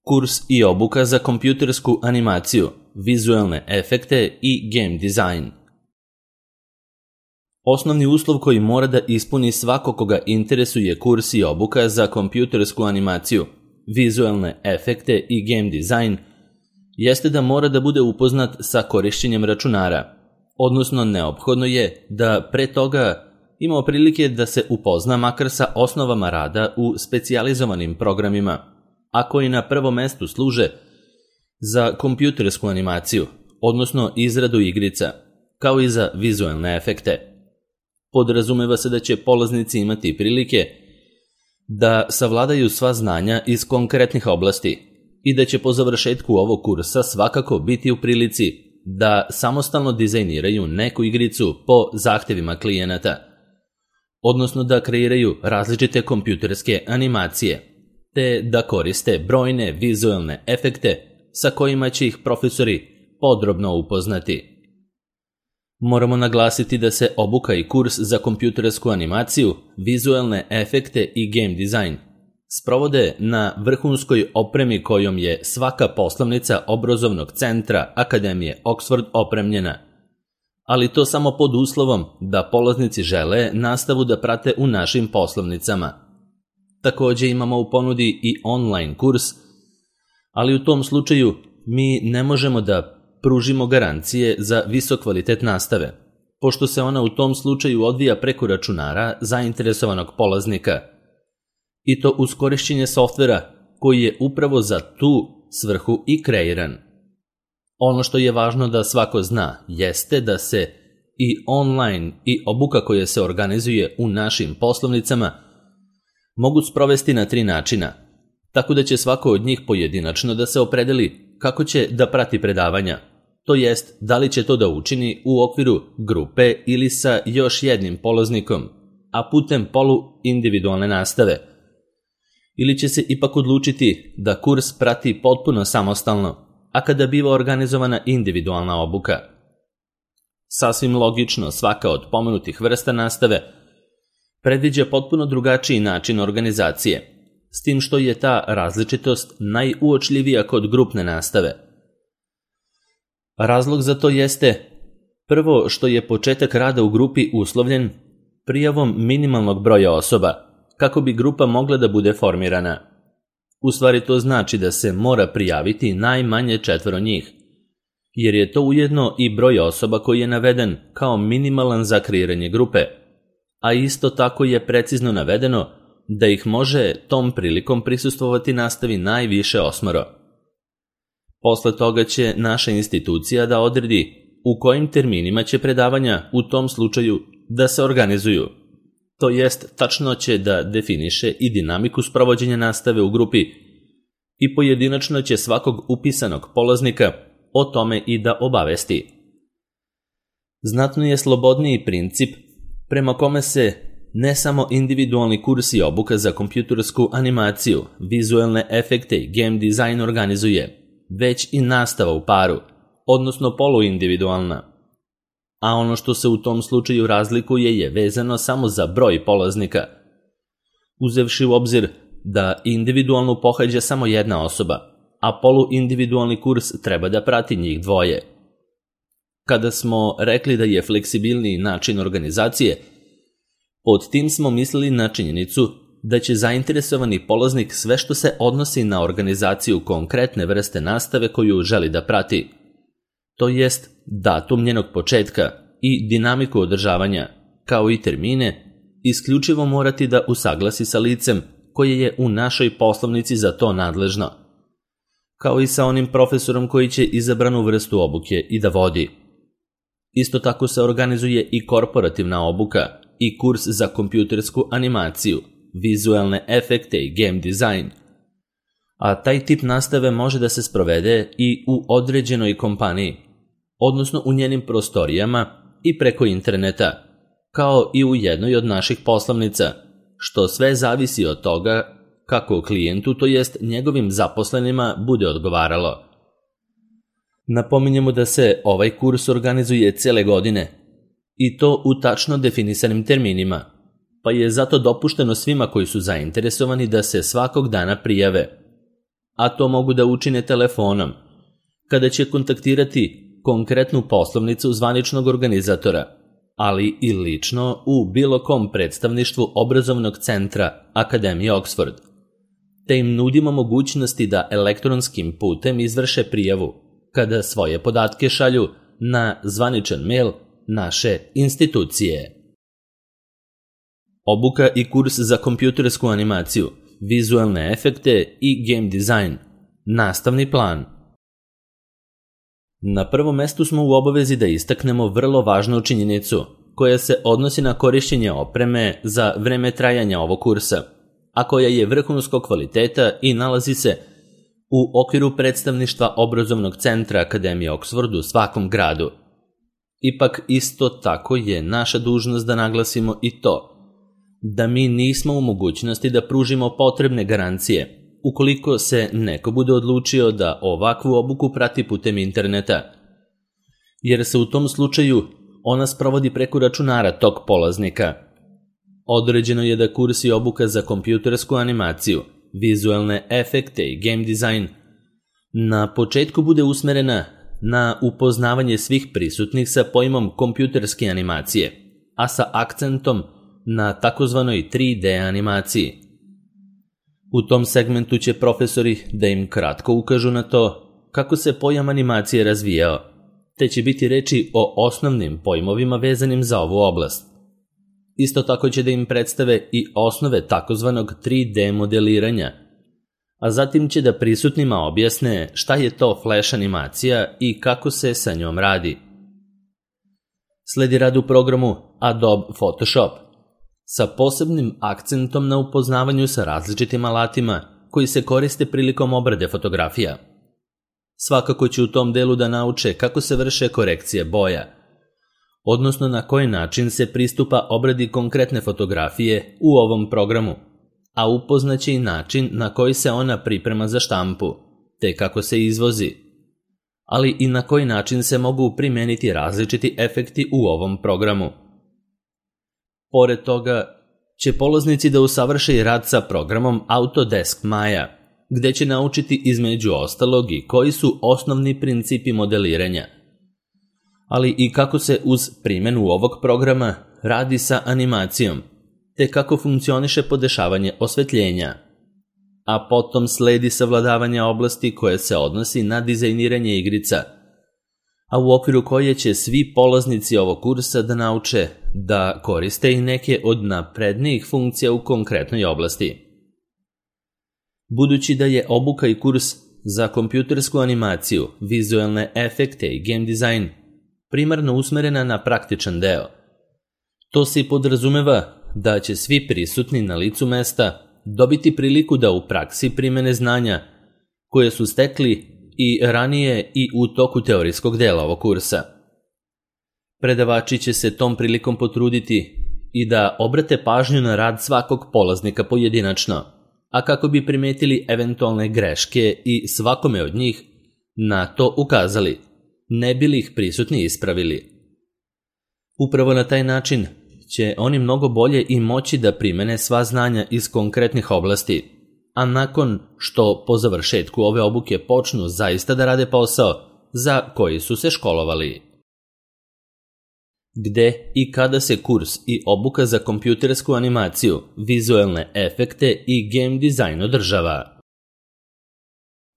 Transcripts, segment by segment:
Kurs i obuka za kompjutersku animaciju, vizualne efekte i game design. Osnovni uslov koji mora da ispuni svako koga interesuje kurs i obuka za kompjutersku animaciju, vizualne efekte i game design jeste da mora da bude upoznat sa korišćenjem računara, odnosno neophodno je da pre toga imao prilike da se upozna makar sa osnovama rada u specijalizovanim programima, a koji na prvom mestu služe za kompjutersku animaciju, odnosno izradu igrica, kao i za vizualne efekte. Podrazumeva se da će polaznici imati prilike da savladaju sva znanja iz konkretnih oblasti i da će po završetku ovog kursa svakako biti u prilici da samostalno dizajniraju neku igricu po zahtevima klijenata, odnosno da kreiraju različite kompjuterske animacije, te da koriste brojne vizualne efekte sa kojima će ih profesori podrobno upoznati. Moramo naglasiti da se obuka i kurs za kompjutersku animaciju, vizualne efekte i game design sprovode na vrhunskoj opremi kojom je svaka poslovnica obrazovnog centra Akademije Oxford opremljena, ali to samo pod uslovom da polaznici žele nastavu da prate u našim poslovnicama. Također imamo u ponudi i online kurs, ali u tom slučaju mi ne možemo da pružimo garancije za visok kvalitet nastave, pošto se ona u tom slučaju odvija preko računara zainteresovanog polaznika, i to uz korišćenje softvera koji je upravo za tu svrhu i kreiran. Ono što je važno da svako zna jeste da se i online i obuka koja se organizuje u našim poslovnicama mogu sprovesti na 3 načina, tako da će svako od njih pojedinačno da se opredeli kako će da prati predavanja, to jest da li će to da učini u okviru grupe ili sa još jednim polaznikom, a putem polu-individualne nastave, ili će se ipak odlučiti da kurs prati potpuno samostalno, a kada biva organizovana individualna obuka. Sasvim logično, svaka od pomenutih vrsta nastave predviđa potpuno drugačiji način organizacije, s tim što je ta različitost najuočljivija kod grupne nastave. Razlog za to jeste prvo što je početak rada u grupi uslovljen prijavom minimalnog broja osoba, kako bi grupa mogla da bude formirana. U stvari to znači da se mora prijaviti najmanje 4 njih, jer je to ujedno i broj osoba koji je naveden kao minimalan za kreiranje grupe, a isto tako je precizno navedeno da ih može tom prilikom prisustvovati nastavi najviše 8. Posle toga će naša institucija da odredi u kojim terminima će predavanja u tom slučaju da se organizuju. To jest, tačno će da definiše i dinamiku sprovođenja nastave u grupi i pojedinačno će svakog upisanog polaznika o tome i da obavesti. Znatno je slobodniji princip prema kome se ne samo individualni kurs i obuka za kompjutersku animaciju, vizualne efekte i game design organizuje, već i nastava u paru, odnosno poluindividualna. A ono što se u tom slučaju razlikuje je vezano samo za broj polaznika, uzevši u obzir da individualnu pohađa samo jedna osoba, a poluindividualni kurs treba da prati njih 2. Kada smo rekli da je fleksibilniji način organizacije, pod tim smo mislili na činjenicu da će zainteresovani polaznik sve što se odnosi na organizaciju konkretne vrste nastave koju želi da prati, to jest datum njenog početka i dinamiku održavanja, kao i termine, isključivo morati da usaglasi sa licem koje je u našoj poslovnici za to nadležno, kao i sa onim profesorom koji će izabranu vrstu obuke i da vodi. Isto tako se organizuje i korporativna obuka i kurs za kompjutersku animaciju, vizualne efekte i game design, a taj tip nastave može da se sprovede i u određenoj kompaniji, odnosno u njenim prostorijama i preko interneta, kao i u jednoj od naših poslovnica, što sve zavisi od toga kako klijentu, to jest njegovim zaposlenima, bude odgovaralo. Napominjemo da se ovaj kurs organizuje cele godine, i to u tačno definisanim terminima, pa je zato dopušteno svima koji su zainteresovani da se svakog dana prijave. a to mogu da učine telefonom, kada će kontaktirati konkretnu poslovnicu zvaničnog organizatora, ali i lično u bilo kom predstavništvu obrazovnog centra Akademije Oxford, te im nudimo mogućnosti da elektronskim putem izvrše prijavu kada svoje podatke šalju na zvaničan mail naše institucije. Obuka i kurs za kompjutersku animaciju, vizualne efekte i game design. Nastavni plan. Na prvom mestu smo u obavezi da istaknemo vrlo važnu činjenicu koja se odnosi na korišćenje opreme za vreme trajanja ovog kursa, a koja je vrhunskog kvaliteta i nalazi se u okviru predstavništva obrazovnog centra Akademije Oxford u svakom gradu. Ipak isto tako je naša dužnost da naglasimo i to da mi nismo u mogućnosti da pružimo potrebne garancije ukoliko se neko bude odlučio da ovakvu obuku prati putem interneta, jer se u tom slučaju ona sprovodi preko računara tog polaznika. Određeno je da kurs i obuka za kompjutersku animaciju, vizualne efekte i game design na početku bude usmerena na upoznavanje svih prisutnih sa pojmom kompjuterske animacije, a sa akcentom na takozvanoj 3D animaciji. U tom segmentu će profesori da im kratko ukažu na to kako se pojam animacije razvijao, te će biti reči o osnovnim pojmovima vezanim za ovu oblast. Isto tako će da im predstave i osnove takozvanog 3D modeliranja, a zatim će da prisutnima objasne šta je to flash animacija i kako se sa njom radi. Sledi rad u programu Adobe Photoshop, sa posebnim akcentom na upoznavanju sa različitim alatima koji se koriste prilikom obrade fotografija. Svakako će u tom delu da nauče kako se vrše korekcije boja, odnosno na koji način se pristupa obradi konkretne fotografije u ovom programu, a upoznaće i način na koji se ona priprema za štampu, te kako se izvozi, ali i na koji način se mogu primeniti različiti efekti u ovom programu. Pored toga će polaznici da usavrše i rad sa programom Autodesk Maya, gde će naučiti između ostalog i koji su osnovni principi modeliranja, ali i kako se uz primjenu ovog programa radi sa animacijom, te kako funkcioniše podešavanje osvetljenja. A potom sledi savladavanje oblasti koje se odnosi na dizajniranje igrica, a u okviru koje će svi polaznici ovog kursa da nauče da koriste i neke od naprednijih funkcija u konkretnoj oblasti. Budući da je obuka i kurs za kompjutersku animaciju, vizualne efekte i game design primarno usmerena na praktičan deo, to se i podrazumeva da će svi prisutni na licu mesta dobiti priliku da u praksi primene znanja koje su stekli i ranije i u toku teorijskog dela ovog kursa. Predavači će se tom prilikom potruditi i da obrate pažnju na rad svakog polaznika pojedinačno, a kako bi primetili eventualne greške i svakome od njih na to ukazali, ne bi li ih prisutni ispravili. Upravo na taj način će oni mnogo bolje i moći da primene sva znanja iz konkretnih oblasti, a nakon što po završetku ove obuke počnu zaista da rade posao za koji su se školovali. Gde i kada se kurs i obuka za kompjutersku animaciju, vizualne efekte i game design održava?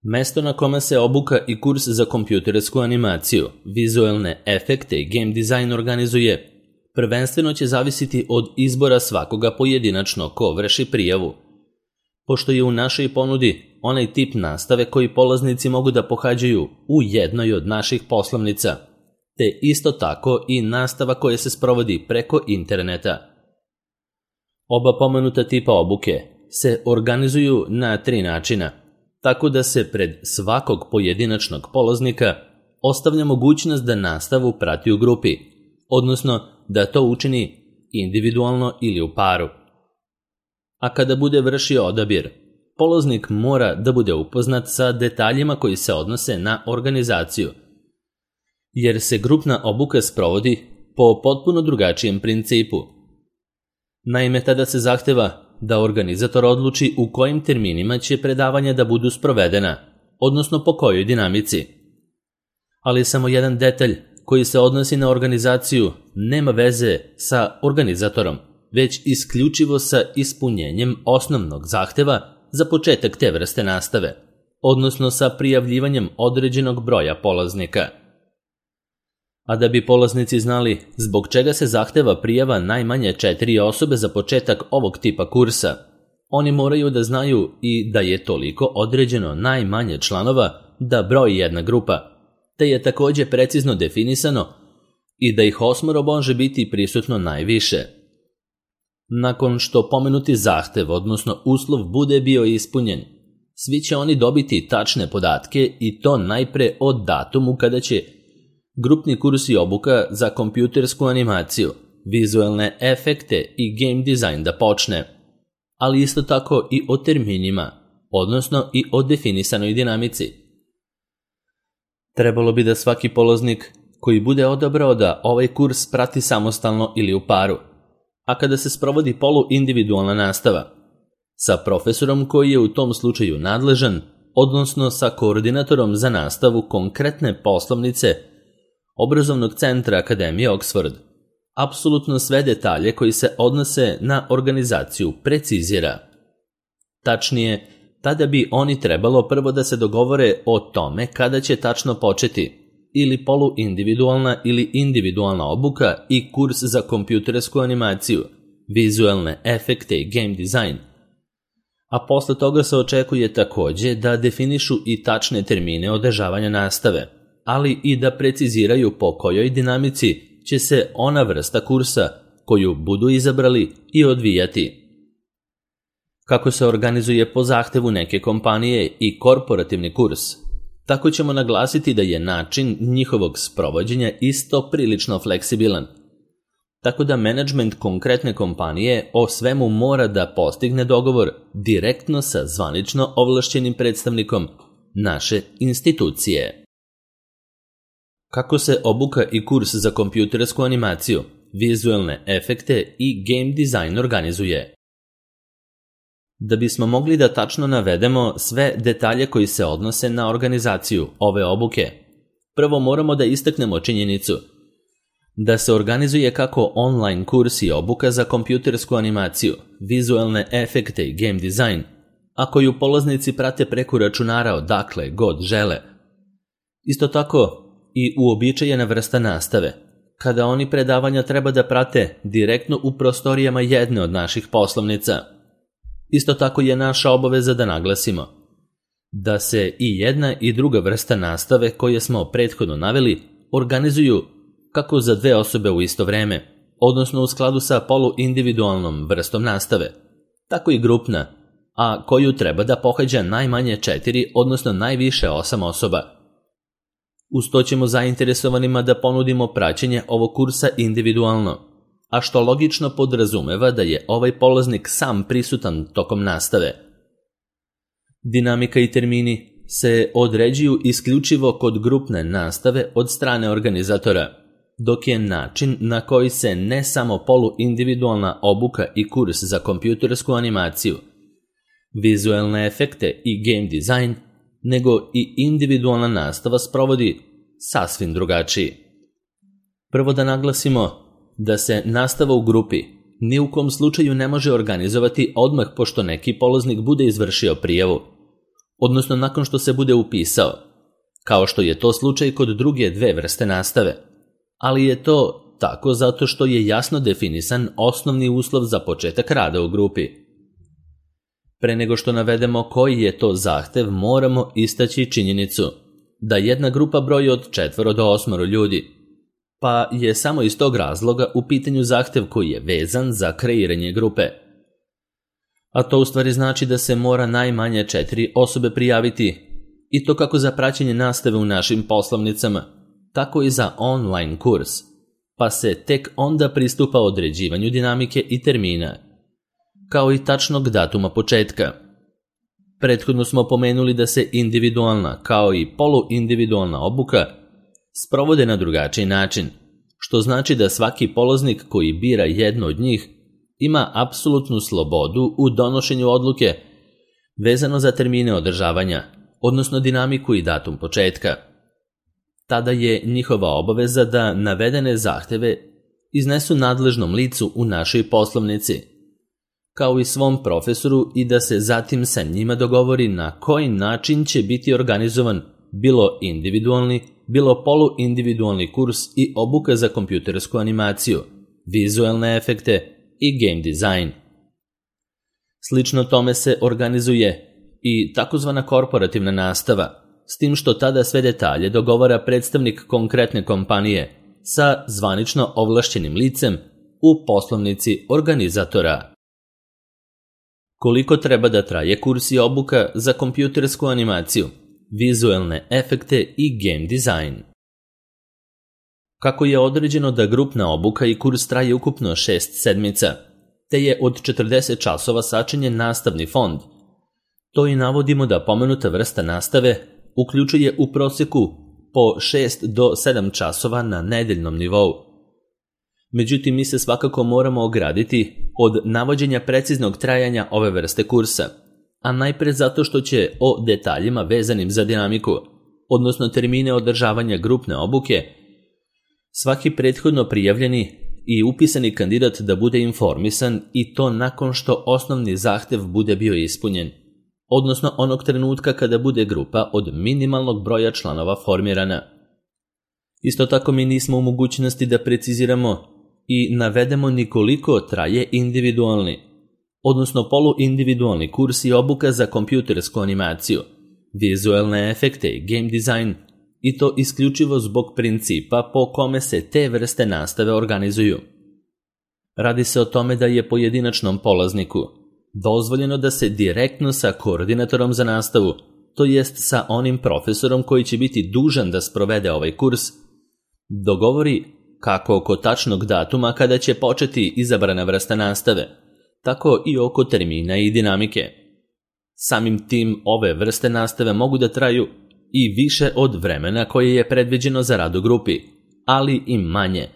Mesto na kome se obuka i kurs za kompjutersku animaciju, vizualne efekte i game design organizuje prvenstveno će zavisiti od izbora svakoga pojedinačno ko vrši prijavu, pošto je u našoj ponudi onaj tip nastave koji polaznici mogu da pohađaju u jednoj od naših poslovnica, te isto tako i nastava koja se sprovodi preko interneta. Oba pomenuta tipa obuke se organizuju na 3 načina, tako da se pred svakog pojedinačnog polaznika ostavlja mogućnost da nastavu prati u grupi, odnosno da to učini individualno ili u paru. A kada bude vršio odabir, polaznik mora da bude upoznat sa detaljima koji se odnose na organizaciju, jer se grupna obuka sprovodi po potpuno drugačijem principu. Naime, tada se zahteva da organizator odluči u kojim terminima će predavanja da budu sprovedena, odnosno po kojoj dinamici. Ali samo jedan detalj koji se odnosi na organizaciju nema veze sa organizatorom, već isključivo sa ispunjenjem osnovnog zahteva za početak te vrste nastave, odnosno sa prijavljivanjem određenog broja polaznika. A da bi polaznici znali zbog čega se zahteva prijava najmanje 4 osobe za početak ovog tipa kursa, oni moraju da znaju i da je toliko određeno najmanje članova da broji jedna grupa, te je također precizno definisano i da ih 8 može biti prisutno najviše. Nakon što pomenuti zahtev, odnosno uslov, bude bio ispunjen, svi će oni dobiti tačne podatke i to najpre od datumu kada će grupni kurs i obuka za kompjutersku animaciju, vizualne efekte i game design da počne, ali isto tako i o terminima, odnosno i o definisanoj dinamici. Trebalo bi da svaki polaznik koji bude odabrao da ovaj kurs prati samostalno ili u paru, a kada se sprovodi poluindividualna nastava, sa profesorom koji je u tom slučaju nadležan, odnosno sa koordinatorom za nastavu konkretne poslovnice Obrazovnog centra Akademije Oxford, apsolutno sve detalje koji se odnose na organizaciju precizira. Tačnije, tada bi oni trebalo prvo da se dogovore o tome kada će tačno početi ili poluindividualna ili individualna obuka i kurs za kompjutersku animaciju, vizualne efekte i game design. A posle toga se očekuje također da definišu i tačne termine održavanja nastave, ali i da preciziraju po kojoj dinamici će se ona vrsta kursa koju budu izabrali i odvijati. Kako se organizuje po zahtevu neke kompanije i korporativni kurs, tako ćemo naglasiti da je način njihovog sprovođenja isto prilično fleksibilan. Tako da menadžment konkretne kompanije o svemu mora da postigne dogovor direktno sa zvanično ovlašćenim predstavnikom naše institucije. Kako se obuka i kurs za kompjutersku animaciju, vizualne efekte i game design organizuje? Da bismo mogli da tačno navedemo sve detalje koji se odnose na organizaciju ove obuke, prvo moramo da istaknemo činjenicu da se organizuje kako online kurs i obuka za kompjutersku animaciju, vizualne efekte i game design, a koju polaznici prate preko računara odakle god žele. Isto tako i uobičajena vrsta nastave, kada oni predavanja treba da prate direktno u prostorijama jedne od naših poslovnica. Isto tako je naša obaveza da naglasimo da se i jedna i druga vrsta nastave koje smo prethodno naveli organizuju kako za 2 osobe u isto vreme, odnosno u skladu sa poluindividualnom vrstom nastave, tako i grupna, a koju treba da pohađa najmanje 4, odnosno najviše 8 osoba. Uz to ćemo zainteresovanima da ponudimo praćenje ovog kursa individualno, a što logično podrazumeva da je ovaj polaznik sam prisutan tokom nastave. Dinamika i termini se određuju isključivo kod grupne nastave od strane organizatora, dok je način na koji se ne samo poluindividualna obuka i kurs za kompjutersku animaciju, vizualne efekte i game design, nego i individualna nastava sprovodi sasvim drugačiji. Prvo da naglasimo da se nastava u grupi ni u kom slučaju ne može organizovati odmah pošto neki polaznik bude izvršio prijavu, odnosno nakon što se bude upisao, kao što je to slučaj kod druge 2 vrste nastave, ali je to tako zato što je jasno definisan osnovni uslov za početak rada u grupi. Pre nego što navedemo koji je to zahtev, moramo istaći činjenicu da jedna grupa broji od 4 do 8 ljudi, pa je samo iz tog razloga u pitanju zahtev koji je vezan za kreiranje grupe. A to u stvari znači da se mora najmanje 4 osobe prijaviti, i to kako za praćenje nastave u našim poslovnicama, tako i za online kurs, pa se tek onda pristupa određivanju dinamike i termina, kao i tačnog datuma početka. Prethodno smo pomenuli da se individualna kao i poluindividualna obuka sprovode na drugačiji način, što znači da svaki polaznik koji bira jedno od njih ima apsolutnu slobodu u donošenju odluke vezano za termine održavanja, odnosno dinamiku i datum početka. Tada je njihova obaveza da navedene zahteve iznesu nadležnom licu u našoj poslovnici, kao i svom profesoru, i da se zatim sa njima dogovori na koji način će biti organizovan bilo individualni, bilo poluindividualni kurs i obuka za kompjutersku animaciju, vizuelne efekte i game design. Slično tome se organizuje i takozvana korporativna nastava, s tim što tada sve detalje dogovara predstavnik konkretne kompanije sa zvanično ovlašćenim licem u poslovnici organizatora. Koliko treba da traje kurs i obuka za kompjutersku animaciju, vizuelne efekte i game design? Kako je određeno da grupna obuka i kurs traje ukupno 6 sedmica, te je od 40 časova sačinjen nastavni fond, to i navodimo da pomenuta vrsta nastave uključuje u proseku po 6 do 7 časova na nedeljnom nivou. Međutim, mi se svakako moramo ograditi od navođenja preciznog trajanja ove vrste kursa, a najpre zato što će o detaljima vezanim za dinamiku, odnosno termine održavanja grupne obuke, svaki prethodno prijavljeni i upisani kandidat da bude informisan, i to nakon što osnovni zahtev bude bio ispunjen, odnosno onog trenutka kada bude grupa od minimalnog broja članova formirana. Isto tako mi nismo u mogućnosti da preciziramo i navedemo ni koliko traje individualni, odnosno poluindividualni kurs i obuka za kompjutersku animaciju, vizuelne efekte i game design, i to isključivo zbog principa po kome se te vrste nastave organizuju. Radi se o tome da je pojedinačnom polazniku dozvoljeno da se direktno sa koordinatorom za nastavu, to jest sa onim profesorom koji će biti dužan da sprovede ovaj kurs, dogovori kako oko tačnog datuma kada će početi izabrana vrsta nastave, tako i oko termina i dinamike. Samim tim ove vrste nastave mogu da traju i više od vremena koje je predviđeno za rad u grupi, ali i manje.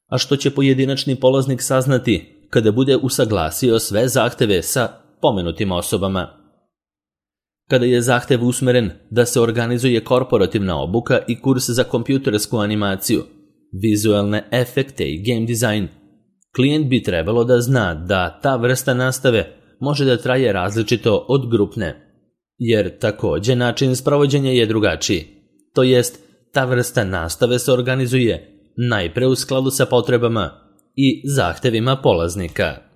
A što će pojedinačni polaznik saznati kada bude usaglasio sve zahteve sa pomenutim osobama. Kada je zahtev usmeren da se organizuje korporativna obuka i kurs za kompjutersku animaciju, vizuelne efekte i game design, klijent bi trebalo da zna da ta vrsta nastave može da traje različito od grupne, jer takođe način sprovođenja je drugačiji, to jest ta vrsta nastave se organizuje najpre u skladu sa potrebama i zahtevima polaznika.